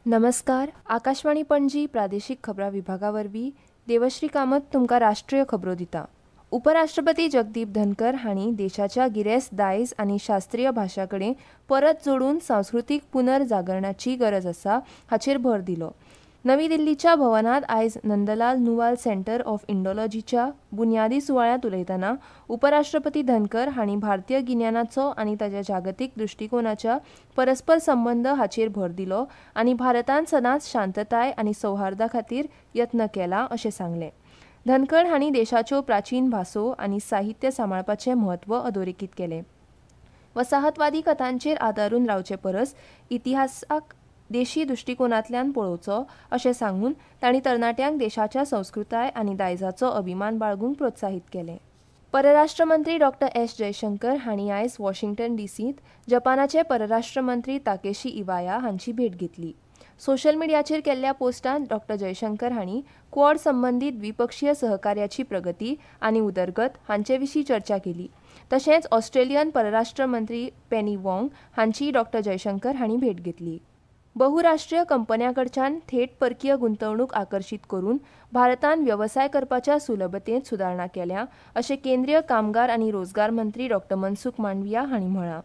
नमस्कार, आकाशवाणी पणजी प्रादेशीक खबरां विभागा वरवीं देवश्री कामत तुमकां राष्ट्रीय खबरो दिता. उपराष्ट्रपती जगदीप धनकर हांणी देशाच्या गिरेस्त दायज आनी शास्त्रीय भाशां कडेन परत जोडून सांस्कृतीक पुनर्जागरणाची गरज आसा हाचेर भर दिलो. नवी दिल्लीच्या भवनांत आयज नंदलाल नुवाल सेंटर ऑफ इंडोलॉजीच्या बुन्यादी सुवाळ्यांत उलयतना उपराष्ट्रपती धनकर हांणी भारतीय गिन्यानाचो आनी ताच्या जागतीक दृश्टीकोनाच्या परस्पर संबंद हाचेर भर दिलो आनी भारतान सदांच शांतताय आनी सौहार्दा खातीर यत्न केला अशें सांगलें. धनखड हांणी देशाच्यो प्राचीन भासो आनी साहित्य सांबाळपाचें म्हत्व अधोरेखीत केलें. वसाहतवादी कथांचेर आदारून रावचे परस इतिहासाक देशी दृश्टीकोनांतल्यान पळोवचो अशें सांगून तांणी तरणाट्यांक देशाच्या संस्कृताय आनी दायजाचो अभिमान बाळगूंक प्रोत्साहीत केलें. परराष्ट्र मंत्री डॉक्टर एस जयशंकर हांणी आयज वॉशिंग्टन डीसींत जपानाचे परराष्ट्र मंत्री ताकेशी इवाया हांची भेट घेतली. सोशल मिडियाचेर केल्ल्या पोस्टांत डॉक्टर जयशंकर हांणी क्वॉड संबंदीत द्विपक्षीय सहकार्याची प्रगती आनी उदरगत हांचे विशीं चर्चा केली. तशेंच ऑस्ट्रेलियन परराष्ट्र मंत्री पेनी वॉंग हांचीय डॉक्टर जयशंकर हांणी भेट घेतली. बहुराष्ट्रीय कंपन्यां कडच्यान थेट परकीय गुंतवणूक आकर्शीत करून भारतांत वेवसाय करपाच्या सुलभतेंत सुदारणा केल्या अशें केंद्रीय कामगार आनी रोजगार मंत्री डॉक्टर मनसुख मांडविया हांणी म्हळां.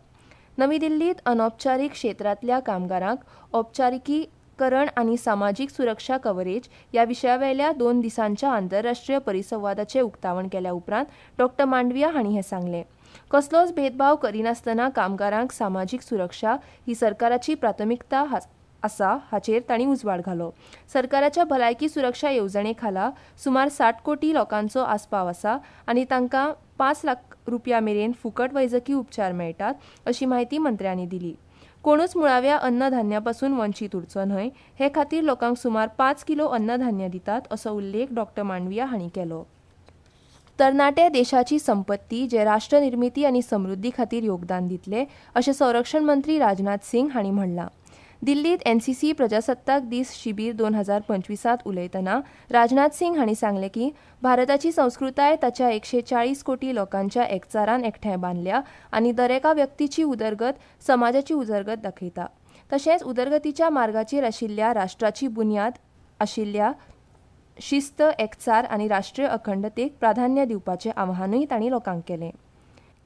नवी दिल्लींत अनौपचारीक क्षेत्रांतल्या कामगारांक औपचारिकीकरण आनी समाजीक सुरक्षा कव्हरेज ह्या विशयावेल्या 2 दिसांच्या आंतरराष्ट्रीय परिसंवादाचें उक्तावण केल्या उपरांत डॉक्टर मांडविया हांणी हें सांगलें. कसलोच भेदभाव करिनासतना कामगारांक समाजीक सुरक्षा ही सरकाराची प्राथमिकता आसा हाचेर तांणी उजवाड घालो. सरकाराच्या भलायकी सुरक्षा येवजणे खाला सुमार 60 कोटी लोकांचो आस्पाव आसा आनी तांकां 5 लाख रुपया मेरेन फुकट वैजकी उपचार मेळटात अशी म्हायती मंत्र्यांनी दिली. कोणूच मुळाव्या अन्नधान्यापासून वंचीत उरचो न्हय हे खातीर लोकांक सुमार 5 किलो अन्नधान्य दितात असो उल्लेख डॉक्टर मांडविया हांणी केलो. तरणाटे देशाची संपत्ती जे राष्ट्र निर्मिती आनी समृद्धी खातीर योगदान दितले अशें संरक्षण मंत्री राजनाथ सिंग हांणी म्हणलां. दिल्लींत एनसीसी प्रजासत्ताक दीस शिबीर 2025 उलयतना राजनाथ सिंग हांणी सांगलें की भारताची संस्कृताय ताच्या 140 कोटी लोकांच्या एकचारान एकठांय बांदल्या आनी दरेका व्यक्तीची उदरगत समाजाची उदरगत दाखयता. तशेंच उदरगतीच्या मार्गाचेर आशिल्ल्या राष्ट्राची बुन्याद आशिल्ल्या शिस्त, एकचार आनी राष्ट्रीय अखंडतेक प्राधान्य दिवपाचें आवाहनूय तांणी लोकांक केलें.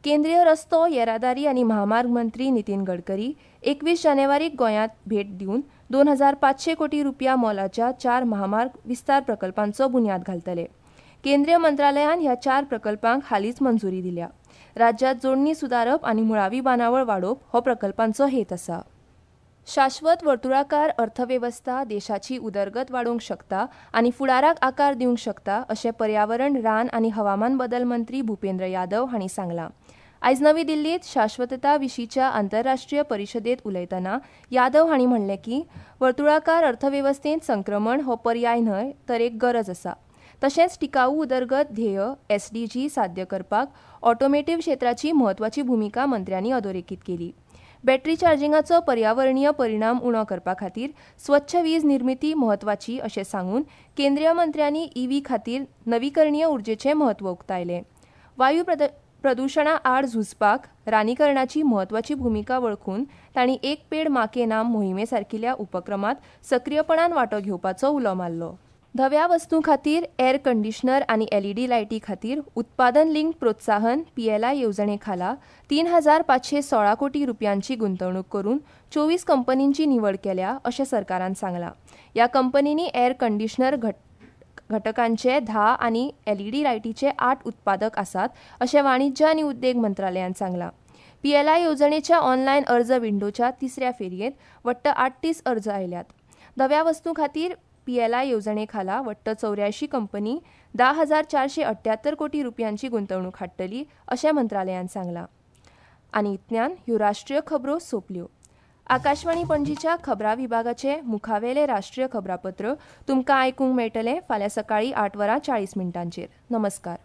केंद्रीय रस्तो येरादारी आनी म्हामार्ग मंत्री नितीन गडकरी 21 जानेवारीक गोंयांत भेट दिवन 2500 कोटी रुपया मोलाच्या 4 म्हामार्ग विस्तार प्रकल्पांचो बुन्याद घालतले. केंद्रीय मंत्रालयान ह्या 4 प्रकल्पांक हालींच मंजुरी दिल्या. राज्यांत जोडणी सुदारप आनी मुळावी बांदावळ वाडोवप हो प्रकल्पांचो हेत आसा. शाश्वत वर्तुळाकार अर्थवेवस्था देशाची उदरगत वाडोवंक शकता आनी फुडाराक आकार दिवंक शकता अशें पर्यावरण, रान आनी हवामान बदल मंत्री भूपेंद्र यादव हांणी सांगलां. आयज नवी दिल्लींत शाश्वतता विशींच्या आंतरराष्ट्रीय परिशदेंत उलयतना यादव हांणी म्हणलें की वर्तुळाकार अर्थवेवस्थेंत संक्रमण हो पर्याय न्हय तर एक गरज आसा. तशेंच टिकाऊ उदरगत ध्येय एसडीजी साध्य करपाक ऑटोमेटीव क्षेत्राची म्हत्वाची भुमिका मंत्र्यांनी अधोरेखीत केली. बॅटरी चार्जिंगाचो पर्यावरणीय परिणाम उणो करपा खातीर स्वच्छ वीज निर्मिती म्हत्वाची अशें सांगून केंद्रीय मंत्र्यांनी ईव्ही खातीर नवीकरणीय उर्जेचें म्हत्व उक्तायलें. वायू प्रदुशणा आड झुजपाक रानीकरणाची म्हत्वाची भुमिका वळखून तांणी एक पेड माँ के नाम मोहिमे सारकिल्या उपक्रमांत सक्रीयपणान वांटो घेवपाचो उलो मारलो. धव्या वस्तूं खातीर एअर कंडिशनर आनी एलईडी लायटी खातीर उत्पादन लिंक प्रोत्साहन पीएलआय येवजणे खाला 3516 कोटी रुपयांची गुंतवणूक करून 24 कंपनींची निवड केल्या अशें सरकारान सांगलां. ह्या कंपनींनी एअर कंडिशनर घटकांचे 10 आनी एलईडी लायटीचे 8 उत्पादक आसात अशें वाणिज्य आनी उद्देग मंत्रालयान सांगलां. पीएलआय येवजणेच्या ऑनलायन अर्ज विंडोच्या तिसऱ्या फेरयेंत वट्ट 38 अर्ज आयल्यात. धव्या वस्तूं खातीर पीएलआय येवजणे खाला वट्ट 84 कंपनी 10,478 कोटी रुपयांची गुंतवणूक हाडटली अशें मंत्रालयान सांगलां. आनी इतल्यान ह्यो राष्ट्रीय खबरो सोंपल्यो. आकाशवाणी पणजीच्या खबरां विभागाचे मुखावेले राष्ट्रीय खबरापत्र तुमकां आयकूंक मेळटलें फाल्यां सकाळीं 8:40. नमस्कार.